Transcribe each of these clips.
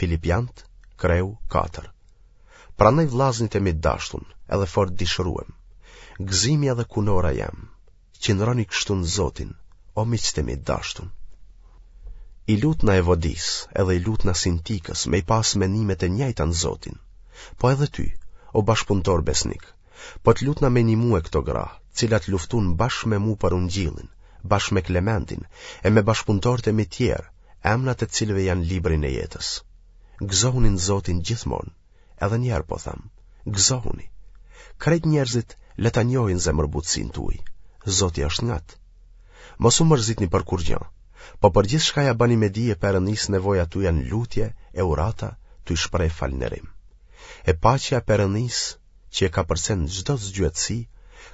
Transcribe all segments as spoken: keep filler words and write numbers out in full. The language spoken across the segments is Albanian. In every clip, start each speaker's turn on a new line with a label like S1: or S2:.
S1: Filipiant, kreu katër. Prandaj vllaznit e mi të dashtun, edhe fort dishruem, gëzimi edhe kunora jem, qëndroni kështu në Zotin, o miqtë e mi të dashtun. I lutna Evodisë, edhe i lutna Sintikës, me i pas menimet e njëjta në Zotin. Po edhe ty, o bashkëpunëtor besnik, po të lutna me nimue këto gra, cilat luftun bashkë me mu për ungjillin, bashkë me Klementin, e me bashkëpunëtorët e mi tjerë, emnat e të cilëve janë librin e jetës. Gëzohuni në Zotin gjithmonë, edhe një herë po them, gëzohuni. Krejt njerëzit le ta njohin zemërbutësinë tuaj. Zoti është ngat. Mos u mërzitni për kurrgjë, po për gjithçka ja bëni me dije Perëndisë nevojat tuaja në lutje e urata, tuj shpreh falënderim. E paqja e Perëndisë, që e kapërcen çdo zgjuarsi,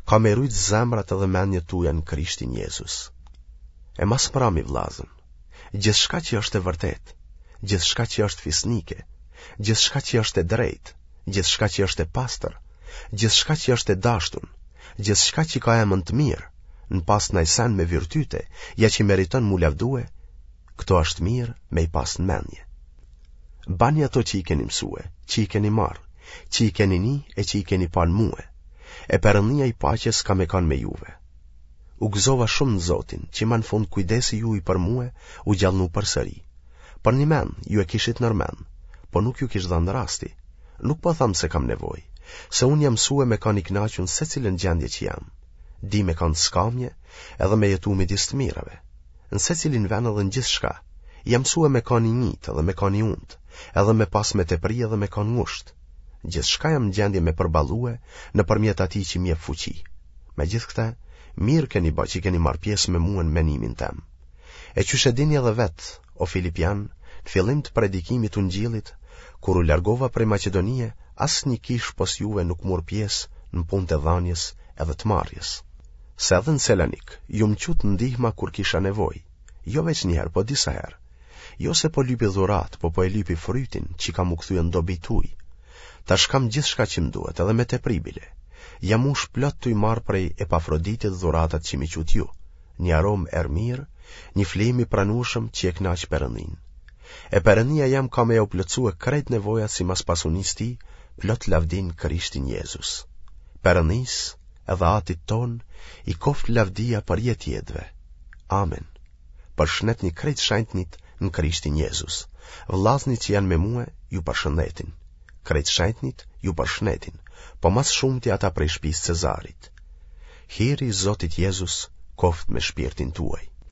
S1: ka me rujt zemrat edhe mendjet tuaja në Krishtin Jezus. E ma s'mrami vllazën, gjithçka që është e vërtetë, gjithçka që është fisnike, gjithçka që është e drejtë, gjithçka që është e pastër, gjithçka që është e dashtun, gjithçka që ka emën të mirë, në pastë naj sen me virtyte, ja që meriton m'u lavdue, këto është mirë me i pas në mendje. Bani ato që i keni mësue, që i keni marrë, që i keni ni e që i keni pa në mue, e Perëndia i paqes ka me kanë me juve. U gëzova shumë në Zotin, që ma në fund kujdesi juj për mue u gjallnu përsëri. Për një men, ju e kishit nër men, po nuk ju kish dhënë rasti. Nuk po tham se kam nevojë, se unë jam mësue me kanë i knaqun secilën gjendje që jam. Di me kanë skamje edhe me jetu midis të mirave. Në secilin vend edhe në gjithçka, jam mësue me kanë i njitë edhe me kanë i untë, edhe me pas me tepri edhe me kanë ngusht. Gjithçka jam në gjendje me përballue nëpërmjet atij që më jep fuqi. Me gjithë këtë, mirë keni bë që keni marrë pjesë me mua në menimin tem. E qysh e dini edhe vetë, o Filipian, në fillim të predikimit të ungjillit, kur u largova prej Maqedonie, asnjë kishë pos juve nuk mur pjesë në punë të dhënies edhe të marrjes. Se edhe në Selanik, ju më qutë ndihma kur kisha nevojë, jo veç një herë, po disa herë. Jo se po lypi dhuratë, po po e lypi frytin që ka m'u kthye në dobi tuj. Tash kam gjithçka që më duhet, edhe me tepri bile. Jam mush plot tuj marrë prej Epafroditit dhuratat që m'i qutë ju, një aromë erë mirë, një flijim i pranueshëm që e kënaq Perëndin. E Perëndia jem ka me jau plotësue krejt nevojat sipas pasunisë tij, plot lavdin Krishtin Jezus. Perëndis edhe Atit ton i koft lavdia për jetë jetëve. Amen. Përshëndetni krejt shenjtnit në Krishtin Jezus. Vllaznit që janë me mue ju përshëndetin. Krejt shenjtnit ju përshëndetin, po ma s'shumti ata prej shtëpisë Cezarit. Hiri i Zotit Jezus koft me shpirtin tuaj.